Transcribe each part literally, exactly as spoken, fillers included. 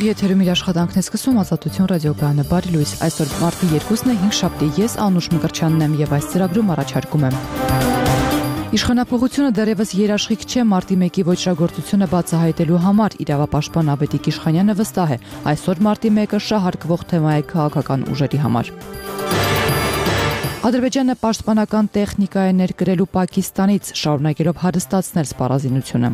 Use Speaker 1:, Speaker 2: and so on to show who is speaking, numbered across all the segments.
Speaker 1: Ուղիղ եթերում իր աշխատանքն է սկսում Ազատություն ռադիոկայանը։ Բարի լույս, այսօր մարտի երկուսն է, հինգշաբթի, ես Անուշ Մկրտչյանն եմ եւ այս ծրագրում առաջարկում եմ. Իշխանապողությունը դեռևս երաշխիք չէ մարտի մեկի ոչրագործությունը բացահայտելու համար, իրավապաշտպան Ավետիք Իշխանյանը վստահ է, այսօր մարտի մեկը շահարկվող թեմա է քաղաքական ուժերի համար։ Ադրբեջանը պաշտպանական տեխնիկա է ներկրելու Պակիստանից, շարունակելով հարստացնել սպառազինությունը։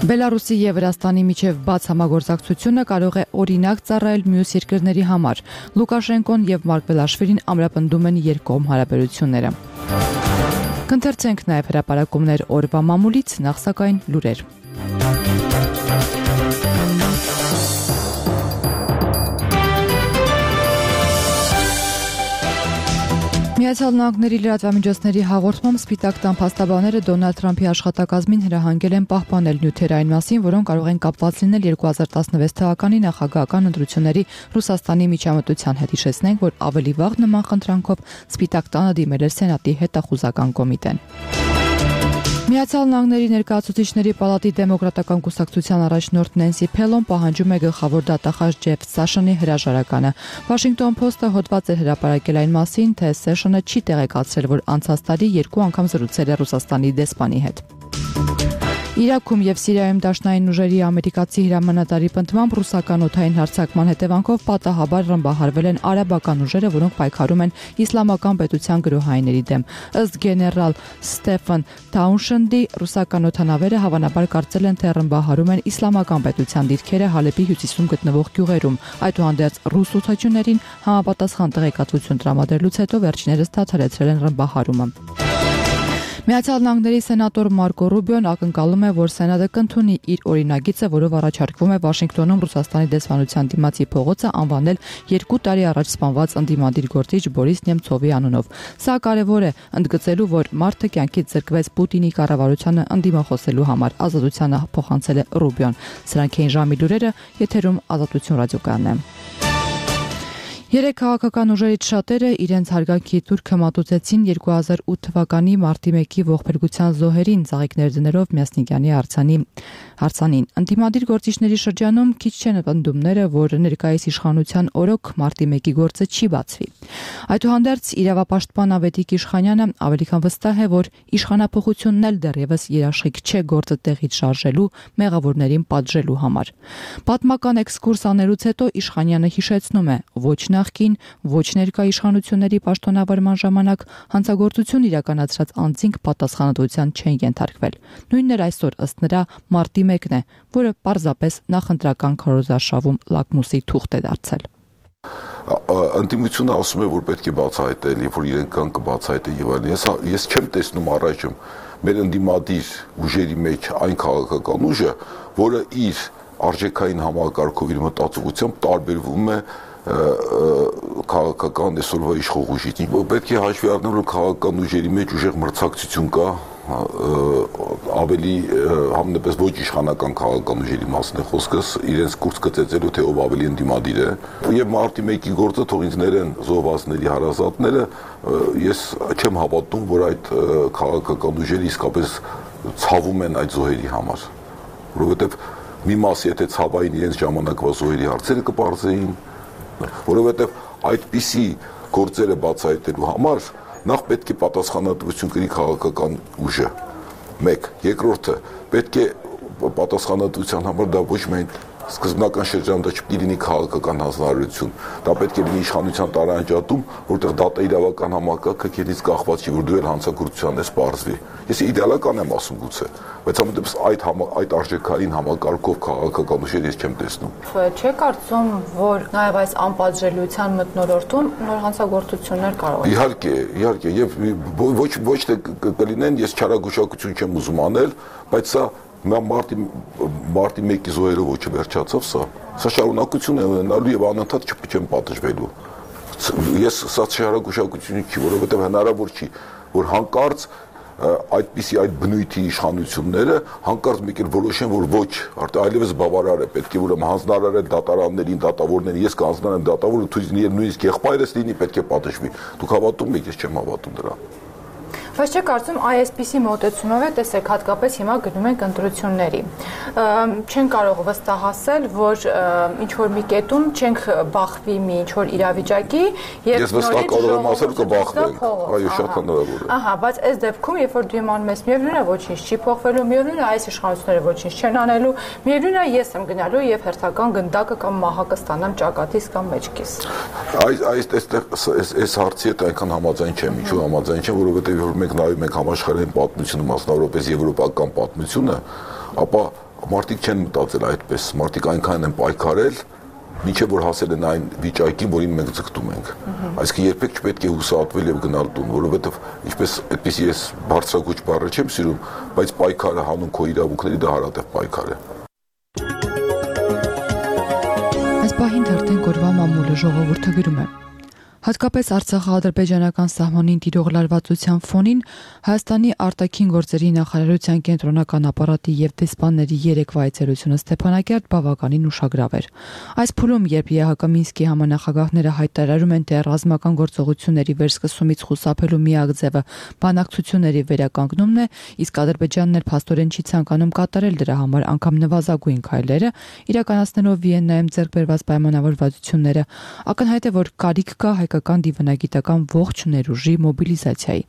Speaker 1: Բելարուսի եւ Վրաստանի միջև բաց համագործակցությունը կարող է օրինակ ծառայել մյուս երկրների համար։ Լուկաշենկոն եւ Մարկվելաշվիլին ամրապնդում են երկկողմ հարաբերությունները։ Կընթերցենք նաեւ հրապարակումներ օրվա մամուլից, նախ սակայն լուրեր։ Միացյալ Նահանգների լրատվամիջոցների հաղորդմամբ Սպիտակ տան փաստաբանները Դոնալդ Թրամփի աշխատակազմին հրահանգել են պահպանել նյութեր այն մասին, որոնք կարող են կապված լինել երկու հազար տասնվեց թվականի նախագահական ընտրությունների Ռուսաստանի միջամտության հետ։ Հիշեցնենք, որ ավելի վաղ նման խնդրանքով Սպիտակ տանը դիմել էր Սենատի հետախուզական կոմիտեն։ Միացյալ Նահանգների ներկայացուցիչների պալատի դեմոկրատական կուսակցության առաջնորդ Նենսի Փելոն պահանջում է գլխավոր դատախազ Ջեֆ Սաշանի հրաժարականը։ Washington Post-ը հոդված է հրապարակել այն մասին, թե Սաշանը չի տեղեկացրել, որ անցած տարի երկու անգամ զրուցել է Ռուսաստանի դեսպանի հետ։ Իրաքում եւ Սիրիայում դաշնային ուժերի ամերիկացի հրամանատարի պնդմամբ ռուսական օդային հարձակման հետևանքով պատահաբար ռմբահարվել են արաբական ուժերը, որոնք պայքարում են իսլամական պետության գրոհայինների դեմ։ Ըստ գեներալ Ստեֆան Թաունշենդի, ռուսական օդանավերը հավանաբար կարծել են, թե ռմբահարում են իսլամական պետության դիրքերը Հալեպի հյուսիսում գտնվող գյուղերում։ Այդուհանդերձ ռուս օդաչուներին համապատասխան տեղեկատվություն տրամադրելուց հետո վերջիններս դադարեցրել են ռմբահարումը։ Միացյալ Նահանգների սենատոր Մարկո Ռուբիոն ակնկալում է, որ Սենատը կընդունի իր օրինագիծը, որով առաջարկվում է Վաշինգտոնում Ռուսաստանի դեսպանության դիմացի փողոցը անվանել երկու տարի առաջ սպանված ընդդիմադիր գործիչ Բորիս Նեմցովի անունով։ Սա կարևոր է, ընդգծելու, որ մարդը կյանքից զրկվեց Պուտինի կառավարությանը ընդդիմախոսելու համար, ազատությանը փոխանցել է Ռուբիոն։ Սրանք էին ժամի լուրերը, եթերում Ազատություն ռադիոկայանն է։ Երեք քաղաքական ուժերից շատերը իրենց հարգանքի թուրքը մատուցեցին երկու հազար ութ թվականի մարտի մեկի ողբերգության զոհերին ծաղիկներ դներով Մյասնիկյանի արձանի հարցանին։ Ընդդիմադիր գործիչների շրջանում քիչ չեն պնդումները, որ ներկայիս իշխանության օրոք մարտի մեկի գործը չի բացվի։ Այդուհանդերձ իրավապաշտպան Ավետիք Իշխանյանը ավելի քան վստահ է, որ իշխանապողությունն էլ դեռևս երաշխիք չէ գործը տեղից շարժելու, մեղավորներին պատժելու համար։ Պատմական էքսկուրս անելուց հետո Իշխանյանը հիշեցնում է, ոչ նախկին, ոչ ներկա իշխանությունների պաշտոնավարման ժամանակ հանցագործություն իրականացրած անձինք պատասխանատվության չեն ենթարկվել։ Նույնն էր այսօր ըստ նրա մարտի մեկն է, որը պարզապես նախընտրական քարոզարշավում լակմուսի թուղթ է դարձել։
Speaker 2: Ընդդիմությունը ասում է, որ պետք է բացահայտել, երբ որ իրենք կան կբացահայտեն եւ այլն։ Ես ես չեմ տեսնում առայժմ մեր ընդդիմադիր ուժերի մեջ այն քաղաքական ուժը, որը իր արժեքային համակարգով իր մտածողությամբ տարբերվում է քաղաքական այսօրվա իշխող ուժից։ Պետք է հաշվի առնել, որ քաղաքական ուժերի մեջ ուժեղ մրցակցություն կա, ավելի համենապես ոչ իշխանական քաղաքական ուժերի մասն է խոսքս, իրենց կուրս կծեցելու, թե ով ավելի ընդդիմադիր է։ Եվ մարտի մեկի գործը թող ինձ ներեն զոհվածների հարազատները, ես չեմ հավատում, որ այդ քաղաքական ուժերը իսկապես ցավում են այդ զոհերի համար, որովհետև մի մասը եթե ցավային իրենց ժամանակվա զոհերի հարցերը կպարզեին, որովհետև այդպիսի գործերը բացահայտելու համար նախ պետք է պատասխանատվություն կրի քաղաքական ուժը, մեկ, երկրորդը պետք է պատասխանատվության համար դա ոչ միայն սկզբնական շրջանում դա չպետք է լինի քաղաքական հանձնարարություն, դա պետք է լինի իշխանության տարանջատում, որտեղ դատա իրավական համակարգը քեզնից կախված չի, որ դու էլ հանցագործության ես պարզվի։ Ես իդեալական եմ ասում գուցե, բայց ամենտեղս այդ այդ արժեքային համակարգով քաղաքական ուժեր ես չեմ տեսնում։
Speaker 1: Չէ՞ կարծում, որ նաև այս անպատժելիության մթնոլորտում նոր հանցագործություններ կարող են։
Speaker 2: Իհարկե, իհարկե, եւ ոչ ոչ թե կլինեն, ես չարագուշակություն չեմ ուզում անել, բայց սա մարտի մարտի մեկի զոհերը ոչ վերջացավ սա։ Սա շարունակություն է ունենալու եւ անընդհատ չեմ պատժվելու։ Ես սա շարունակություն չի, որովհետեւ հնարավոր չի, որ հանկարծ այդպիսի այդ բնույթի իշխանությունները հանկարծ մեկ էլ որոշեն, որ ոչ, արդեն այլևս բավարար է, պետք է ուրեմն հանձնարարել դատարաններին, դատավորներին, ես կհանձնարարեմ դատավորը, նույնիսկ եղբայրս լինի, պետք է պատժվի։ Դուք հավատում եք, ես չեմ հավատում դրան։
Speaker 1: Բայց չէ կարծում այսպիսի մոտեցումով է, տեսեք, հատկապես հիմա գնում ենք ընտրությունների։ Չեն կարող վստահասել, որ ինչ որ մի կետում չենք բախվի մի ինչ որ իրավիճակի եւ
Speaker 2: Ես վստահ կարող եմ ասել կբախվենք։ Այո, շատ հնարավոր է։
Speaker 1: Ահա, բայց այս դեպքում, երբ որ դու իմանում ես, միևնույն է ոչինչ չի փոխվելու, միևնույն է այս իշխանությունները ոչինչ չեն անելու, միևնույն է ես եմ գնալու եւ հերթական գնդակը կամ մահակը ստանամ ճակատից կամ մեջքից։
Speaker 2: Այս այս այստեղ այս հարցի հետ այնքան համաձայն չեմ, ինչու համաձայն չեմ, որովհետեւ որ մենք նայում ենք համաշխարհային պատմությունը, մասնավորապես եվրոպական պատմությունը, ապա մարդիկ չեն մտածել այդպես, մարդիկ այնքան են պայքարել, մինչև որ հասել են այն վիճակին, որին մենք ձգտում ենք։ Այսինքն երբեք չպետք է հուսահատվել եւ գնալ տուն, որովհետեւ ինչպես այդպես ես բարձրագույն բառը չեմ սիրում, բայց պայքարը հանուն քո իրավունքների դա հարատև պայքար է։
Speaker 1: Այս պահին արդեն կորվա մամուլը ժողովուրդը գրում է. Հատկապես Արցախա-ադրբեջանական սահմանին տիրող լարվածության ֆոնին Հայաստանի արտաքին գործերի նախարարության կենտրոնական ապարատի եւ դեսպանների երեկվա այցելությունը Ստեփանակերտ բավականին ուշագրավ էր։ Այս փուլում, երբ ԵՀԿ Մինսկի համանախագահները հայտարարում են, թե ռազմական գործողությունների վերսկսումից խուսափելու միակ ձևը բանակցությունների վերականգնումն է, իսկ Ադրբեջանն էլ փաստորեն չի ցանկանում կատարել դրա համար անգամ նվազագույն քայլերը, իրականացնելով Վիեննայում ձեռք բերված պայմանավորվածությունները, ակնհայտ է, որ կարիք կա հայկական դիվանագիտական ողջ ներուժի մոբիլիզացիայի։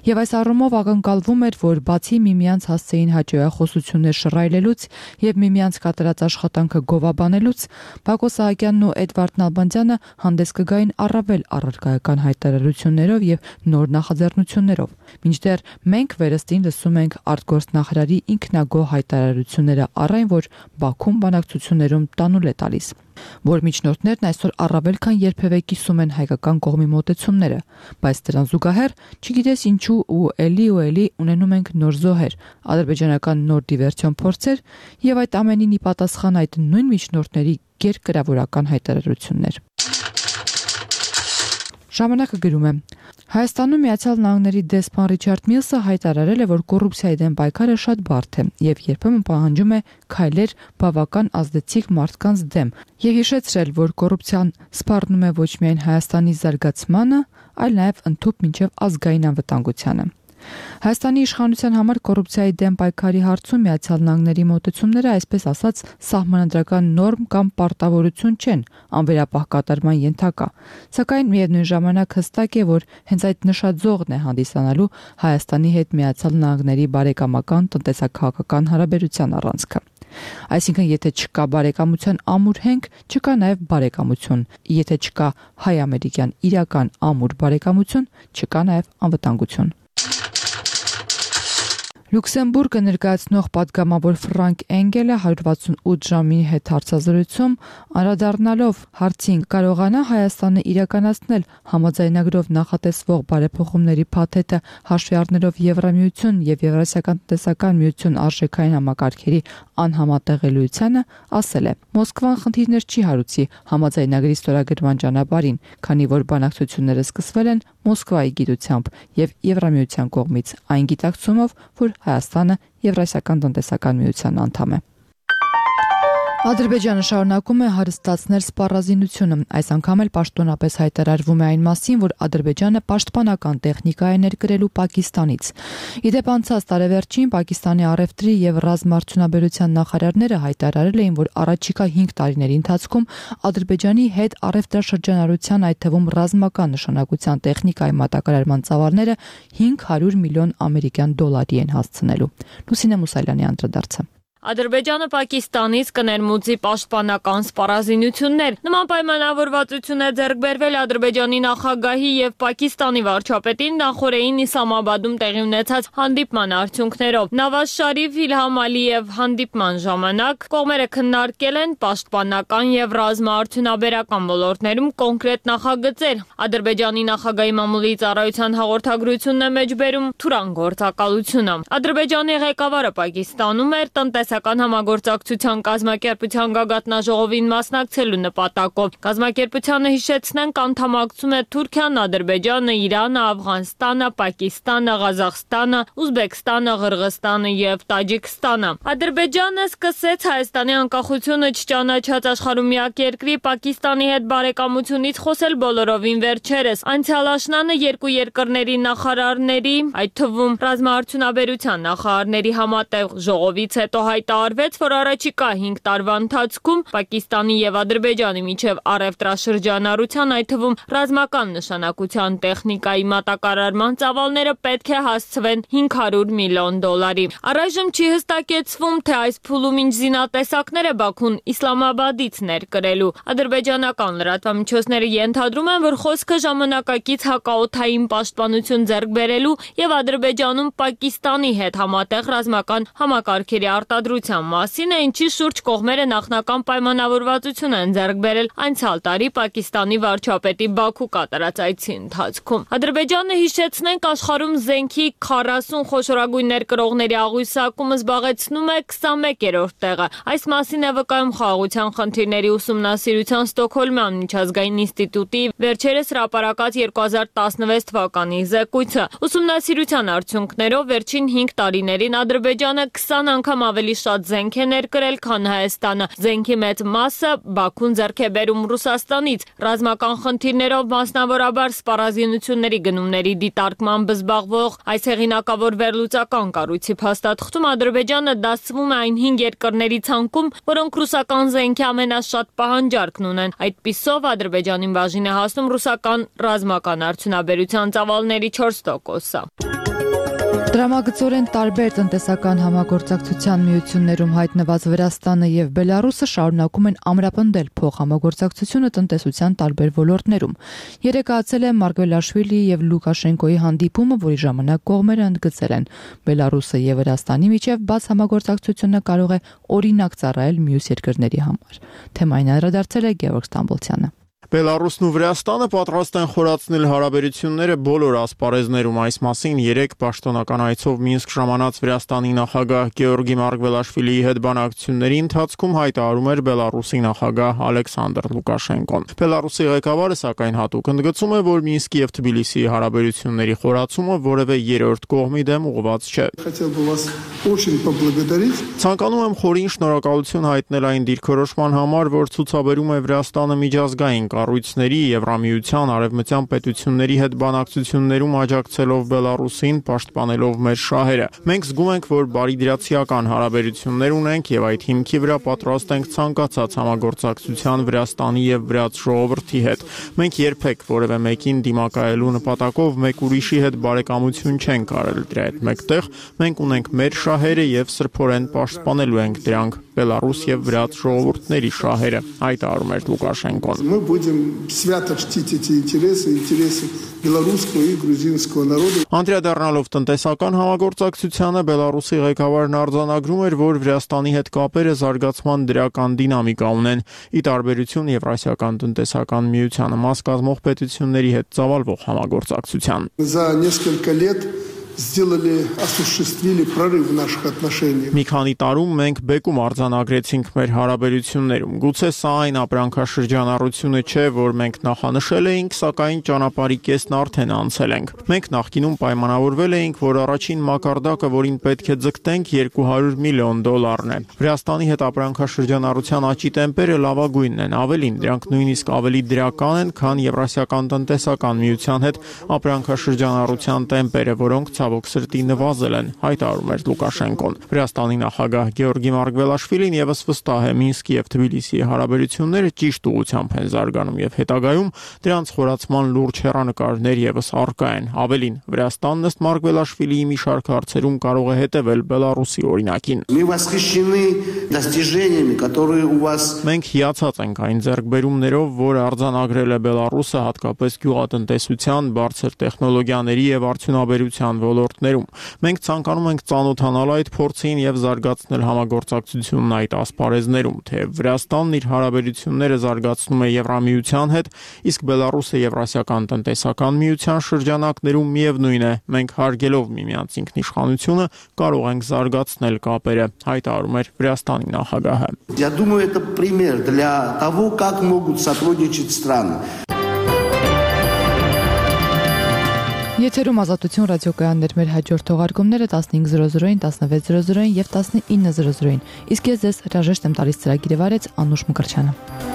Speaker 1: Եվ այս առումով ակնկալվում էր, որ բացի միմյանց հասցեին հաճոյախոսություններ շռայլելուց եւ միմյանց կատարած աշխատանքը գովաբանելուց, Բակո Սահակյանն ու Էդվարդ Նալբանդյանը հանդես կգային առավել առարկայական հայտարարություններով եւ նոր նախաձեռնություններով։ Մինչդեռ մենք վերստին լսում ենք արտգործնախարարի ինքնագոհ հայտարարությունները առ այն, որ Բաքուն բանակցություններում տանուլ է տալիս, որ միջնորդներն այսօր առավել քան երբևէ կիսում են հայկական կողմի մոտեցումները, բայց դրան զուգահեռ, չգիտես ինչու ու էլի ու էլի ունենում ենք նոր զոհեր, ադրբեջանական նոր դիվերսիոն փորձեր եւ այդ ամենին ի պատասխան այդ նույն միջնորդների գերկրավորական հայտարարություններ։ Ժամանակը գրում է. Հայաստանում Միացյալ Նահանգների դեսպան Ռիչարդ Միլսը հայտարարել է, որ կոռուպցիայի դեմ պայքարը շատ բարդ է եւ երբեմն պահանջում է քայլեր բավական ազդեցիկ մարդկանց դեմ եւ հիշեցրել, որ կոռուպցիան սպառնում է ոչ միայն Հայաստանի զարգացմանը, այլ նաեւ ընդհանուր մինչեւ ազգային անվտանգությանը։ Հայաստանի իշխանության համար կոռուպցիայի դեմ պայքարի հարցում Միացյալ Նահանգների մոտեցումները, այսպես ասած, սահմանադրական նորմ կամ պարտավորություն չեն, անվերապահ կատարման ենթակա, սակայն միևնույն ժամանակ հստակ է, որ հենց այդ նշաձողն է հանդիսանալու Հայաստանի հետ Միացյալ Նահանգների բարեկամական տնտեսական հարաբերության առանցքը։ Այսինքն, եթե չկա բարեկամության ամուր հենք, չկա նաև բարեկամություն, եթե չկա հայ-ամերիկյան իրական ամուր բարեկամություն, չկա նաև անվտանգություն։ Լյուքսեմբուրգը ներկայացնող պատգամավոր Ֆրանկ Էնգելը հարյուր վաթսունութ ժամի հետ հարցազրույցում անդրադառնալով հարցին կարողանա Հայաստանը իրականացնել համաձայնագրով նախատեսվող բարեփոխումների փաթեթը հաշվի առնելով Եվրամիություն եւ Եվրասիական տնտեսական միություն արժեքային համակարգերի անհամատեղելիությանը, ասել է. Մոսկվան խնդիրներ չի հարուցի համաձայնագրի ստորագրման ճանապարհին, քանի որ բանակցությունները սկսվել են Մոսկվայի գիտությամբ եւ Եվրամիության կողմից, այն գիտակցումով, որ Հայաստանը Եվրասիական տնտեսական միության անդամ է։ Ադրբեջանը շարունակում է հարստացնել սպառազինությունը, այս անգամ էլ պաշտոնապես հայտարարվում է այն մասին, որ Ադրբեջանը պաշտպանական տեխնիկա է ներկրելու Պակիստանից։ Իդեպ անցած տարեվերջին Պակիստանի առևտրի եւ ռազմաարդյունաբերության նախարարները հայտարարել էին, որ առաջիկա հինգ տարիների ընթացքում Ադրբեջանի հետ առևտրաշրջանառության, այդ թվում ռազմական նշանակության տեխնիկայի մատակարարման ծավալները հինգ հարյուր միլիոն ամերիկյան դոլարի են հասցնելու։ Լուսինե Մուսալյանի անդրադարձը։
Speaker 3: Ադրբեջանը Պակիստանից կներմուծի պաշտպանական սպառազինություններ։ Նման պայմանավորվածություն է ձեռք բերվել Ադրբեջանի նախագահի եւ Պակիստանի վարչապետին նախորդին Իսլամաբադում տեղի ունեցած հանդիպման արդյունքներով։ Նավազ Շարիֆ, Իլհամ Ալիև հանդիպման ժամանակ կողմերը քննարկել են պաշտպանական եւ ռազմաարդյունաբերական ոլորտներում կոնկրետ նախագծեր։ Ադրբեջանի նախագահի մամուլի ծառայության հաղորդագրությունն է մեջբերում Թուրան գործակալությունը։ Ադրբեջանի ղեկավարը Պակիստանում էր տնտես տնտեսական համագործակցության կազմակերպության գագաթնաժողովին մասնակցելու նպատակով։ Կազմակերպությանը հիշեցնենք անդամակցում է Թուրքիան, Ադրբեջանը, Իրանը, Աֆղանստանը, Պակիստանը, Ղազախստանը, Ուզբեկստանը, Ղրղստանը եւ Տաջիկստանը։ Ադրբեջանը սկսեց Հայաստանի անկախությունը չճանաչած աշխարհում միակ երկրի Պակիստանի հետ բարեկամությունից խոսել բոլորովին վերջերս։ Անցյալ աշնանը երկու երկրների նախարարների, այդ թվում ռազմաարդյունաբերության նախարարների համատեղ ժողովից հետո հայտարարվեց, որ առաջիկա հինգ տարվա ընթացքում Պակիստանի եւ Ադրբեջանի միջև առևտրաշրջանառության, այդ թվում ռազմական նշանակության տեխնիկայի մատակարարման ծավալները պետք է հասցվեն հինգ հարյուր միլիոն դոլարի։ Առայժմ չի հստակեցվում, թե այս փուլում ինչ զինատեսակներ է Բաքուն Իսլամաբադից ներկրելու։ Ադրբեջանական լրատվամիջոցները ենթադրում են, որ խոսքը ժամանակակից հակաօդային պաշտպանություն ձեռք բերելու եւ Ադրբեջանում Պակիստանի հետ համատեղ ռազմական համակարգերի արտադրության մասին է, ինչի շուրջ կողմերը նախնական պայմանավորվածություն են ձեռք բերել անցյալ տարի Պակիստանի վարչապետի Բաքու կատարած այցի ընթացքում։ Ադրբեջանը, հիշեցնենք, աշխարհում զենքի քառասուն խոշորագույն ներկրողների աղյուսակումը զբաղեցնում է քսանմեկերորդ տեղը։ Այս մասին է վկայում Խաղաղության խնդիրների ուսումնասիրության Ստոկհոլմյան միջազգային ինստիտուտի վերջերս հրապարակած երկու հազար տասնվեց թվականի զեկույցը։ Ուսումնասիրության արդյունքներով վերջին հինգ տարիներին Ադրբեջանը քսան անգամ ավելի շատ զենք է ներկրել, քան Հայաստանը։ Զենքի մեծ մասը Բաքուն ձեռք է բերում Ռուսաստանից։ Ռազմական խնդիրներով, մասնավորաբար սպառազինությունների գնումների դիտարկմամբ զբաղվող այս հեղինակավոր վերլուծական կառույցի փաստաթղթում Ադրբեջանը դասվում է այն հինգ երկրների ցանկում, որոնք ռուսական զենքի ամենաշատ պահանջարկն ունեն։ Այդպիսով Ադրբեջանին բաժին է հասնում ռուսական ռազմական արդյունաբերության ծավալների չորս տոկոսը։
Speaker 1: Դրամագծորեն տարբեր տնտեսական համագործակցության միություններում հայտնված Վրաստանը եւ Բելարուսը շարունակում են ամրապնդել փոխհամագործակցությունը տնտեսության տարբեր ոլորտներում։ Երեկացել է Մարգվելաշվիլի եւ Լուկաշենկոյի հանդիպումը, որի ժամանակ կողմերը ընդգծել են, Բելարուսը եւ Վրաստանի միջև բաց համագործակցությունը կարող է օրինակ ծառայել մյուս երկրների համար։ Թեմային անդրադարձել է Գևորգ Ստամբոլցյանը։
Speaker 4: Բելարուսն ու Վրաստանը պատրաստ են խորացնել հարաբերությունները բոլոր ասպարեզներում։ Այս մասին երեկ պաշտոնական այցով Մինսկ ժամանած Վրաստանի նախագահ Գեորգի Մարգվելաշվիլիի հետ բանակցությունների ընթացքում հայտարարում էր Բելարուսի նախագահ Ալեքսանդր Լուկաշենկոն։ Բելարուսի ղեկավարը սակայն հատուկ ընդգծում է, որ Մինսկի եւ Թբիլիսիի հարաբերությունների խորացումը որևէ երրորդ կողմի դեմ ուղղված չէ։ Ցանկանում եմ խորին շնորհակալություն հայտնել այն դիրքորոշման համար, որ ցուցաբերում է Վրաստանը միջազգային կառույցների, Եվրամիության, արևմտյան պետությունների հետ բանակցություններում աջակցելով Բելարուսին, պաշտպանելով մեր շահերը։ Մենք զգում ենք, որ բարիդրացիական հարաբերություններ ունենք եւ այդ հիմքի վրա պատրաստ ենք ցանկացած համագործակցության Վրաստանի եւ վրաց ժողովրդի հետ։ Մենք երբեք որևէ մեկին դիմակայելու նպատակով մեկ ուրիշի հետ բարեկամություն չենք արել։ Դրա հետ մեկտեղ մենք ունենք մեր շահերը եւ սրբորեն պաշտպանելու ենք դրանք, Բելարուս եւ վրաց ժողովուրդների շահերը, հայտարարում էր Լուկաշենկոն։
Speaker 5: Будем свято чтить эти интересы, интересы белорусского и грузинского народа։
Speaker 4: Անդրադառնալով տնտեսական համագործակցությանը, Բելարուսի ղեկավարն արձանագրում էր, որ Վրաստանի հետ կապերը զարգացման դրական դինամիկա ունեն, ի տարբերություն Եվրասիական տնտեսական միությանը մաս կազմող պետությունների հետ ծավալվող համագործակցության։
Speaker 5: За несколько лет сделали, осуществили прорыв в наших отношениях։
Speaker 4: Մի քանի տարում մենք բեկում արձանագրեցինք մեր հարաբերություններում։ Գուցե սա այն ապրանքաշրջանառությունը չէ, որ մենք նախանշել էինք, սակայն ճանապարհի կեսն արդեն անցել ենք։ Մենք նախկինում պայմանավորվել էինք, որ առաջին մակարդակը, որին պետք է ձգտենք, երկու հարյուր միլիոն դոլարն է։ Վրաստանի հետ ապրանքաշրջանառության աճի տեմպերը լավագույնն են, ավելին, դրանք նույնիսկ ավելի դրական են, քան Եվրասիական տնտեսական միության հետ ապրանքաշրջանառության տեմպերը, որոնք ցավոք սրտի նվազել են, հայտարարում էր Լուկաշենկոն։ Վրաստանի նախագահ Գեորգի Մարգվելաշվիլին եւս վստահ է, Մինսկի եւ Թբիլիսիի հարաբերությունները ճիշտ ուղղությամբ են զարգանում եւ հետագայում դրանց խորացման լուրջ հեռանկարներ եւս առկա են։ Ավելին, Վրաստանն ըստ Մարգվելաշվիլիի մի շարք հարցերում կարող է հետևել Բելարուսի օրինակին։ Մենք հիացած ենք այն ձեռքբերումներով, որ արձանագրել է Բելարուսը, հատկապես գյուղատնտեսության, բարձր տեխնոլոգիաների եւ արդյունաբերության ոլորտներում։ Մենք ցանկանում ենք ծանոթանալ այդ փորձին եւ զարգացնել համագործակցությունն այդ ասպարեզներում, թե Վրաստանն իր հարաբերությունները զարգացնում է Եվրամիության հետ, իսկ Բելարուսը Եվրասիական տնտեսական միության շրջանակներում միևնույն է, մենք հարգելով միմյանց ինքնիշխանությունը կարող ենք զարգացնել կապերը, հայտարարում էր Վրաստանի նախագահը։
Speaker 6: Я думаю, это пример для того, как могут сотрудничать страны.
Speaker 1: Եթերում Ազատություն ռադիոկայաններ, մեր հաջորդ թողարկումները տասնհինգ զրո զրոին, տասնվեց զրո զրոին եւ տասնինը զրո զրոին։ Իսկ ես ձեզ հրաժեշտ եմ տալիս ծրագիրը վարեց Անուշ Մկրտչյանը։